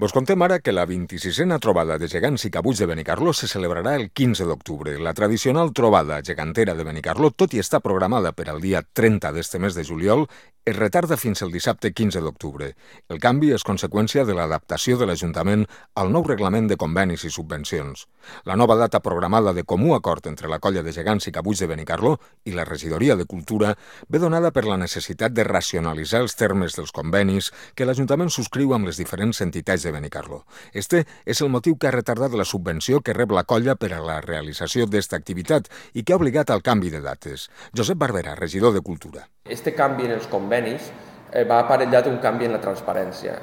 Vos contem ara que la 26a trobada de gegants i cabuts de Benicarló se celebrarà el 15 d'octubre. La tradicional trobada gegantera de Benicarló, tot i estar programada per al dia 30 d'este mes de juliol, es retarda fins el dissabte 15 d'octubre. El canvi és conseqüència de l'adaptació de l'Ajuntament al nou reglament de convenis i subvencions. La nova data programada de comú acord entre la colla de gegants i cabuts de Benicarló i la regidoria de Cultura ve donada per la necessitat de racionalitzar els termes dels convenis que l'Ajuntament subscriu amb les diferents entitats de Benicarló. Este és el motiu que ha retardat la subvenció que rep la colla per a la realització d'esta activitat i que ha obligat al canvi de dates. Josep Barberà, regidor de Cultura. Este canvi en els convenis va aparellat un canvi en la transparència.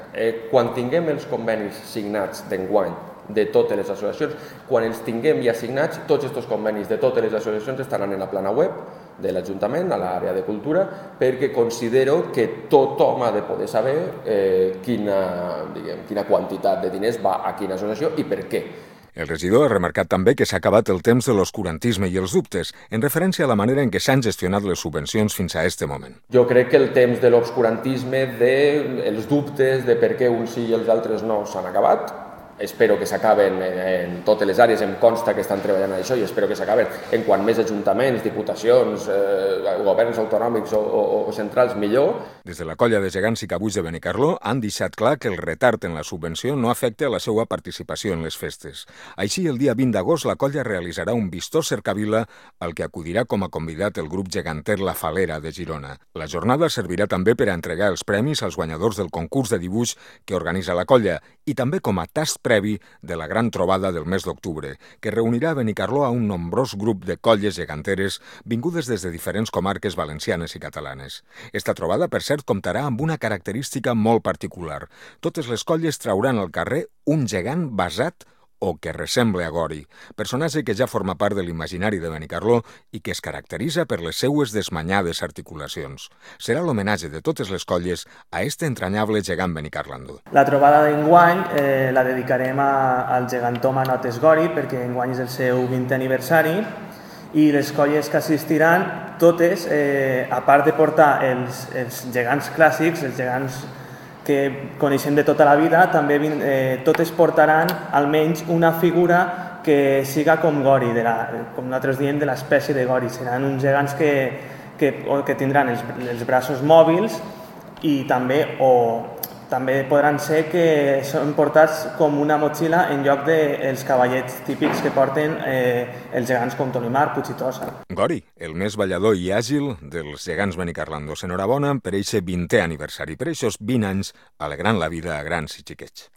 Quan tinguem els convenis signats d'enguany de totes les associacions, quan els tinguem ja signats, tots aquests convenis de totes les associacions estaran en la plana web de l'Ajuntament, a l'àrea de Cultura, perquè considero que tothom ha de poder saber quina quantitat de diners va a quina associació i per què. El regidor ha remarcat també que s'ha acabat el temps de l'oscurantisme i els dubtes, en referència a la manera en què s'han gestionat les subvencions fins a este moment. Jo crec que el temps de l'obscurantisme, dels dubtes de per què uns sí i els altres no s'han acabat. Espero que s'acaben en totes les àrees, em consta que estan treballant en això i espero que s'acaben en quant més ajuntaments, diputacions, governs autonòmics o centrals, millor. Des de la colla de gegants i cabuts de Benicarló han deixat clar que el retard en la subvenció no afecta a la seva participació en les festes. Així, el dia 20 d'agost, la colla realitzarà un vistós cercavila al que acudirà com a convidat el grup geganter La Falera de Girona. La jornada servirà també per a entregar els premis als guanyadors del concurs de dibuix que organitza la colla i també com a tast previ de la gran trobada del mes d'octubre, que reunirà a Benicarló a un nombrós grup de colles geganteres vingudes des de diferents comarques valencianes i catalanes. Esta trobada, per cert, comptarà amb una característica molt particular. Totes les colles trauran al carrer un gegant basat o que ressemble a Gori, personatge que ja forma part de l'imaginari de Benicarló i que es caracteritza per les seues desmanyades articulacions. Serà l'homenatge de totes les colles a este entranyable gegant benicarlandó. La trobada d'enguany la dedicarem al gegantó Manotes Gori perquè enguany és el seu 20è aniversari i les colles que assistiran, totes, a part de portar els gegants clàssics, els gegants que coneixem de tota la vida, també totes portaran almenys una figura que siga com Gori, com nosaltres diem, de l'espècie de Gori. Seran uns gegants que tindran els braços mòbils i també podran ser que són portats com una motxilla en lloc dels cavallets típics que porten els gegants com Tolimar, Puig i Tossa. Gori, el més ballador i àgil dels gegants benicarlandos. Enhorabona per eixe 20è aniversari, per eixos 20 anys alegrant la vida a grans i xiquets.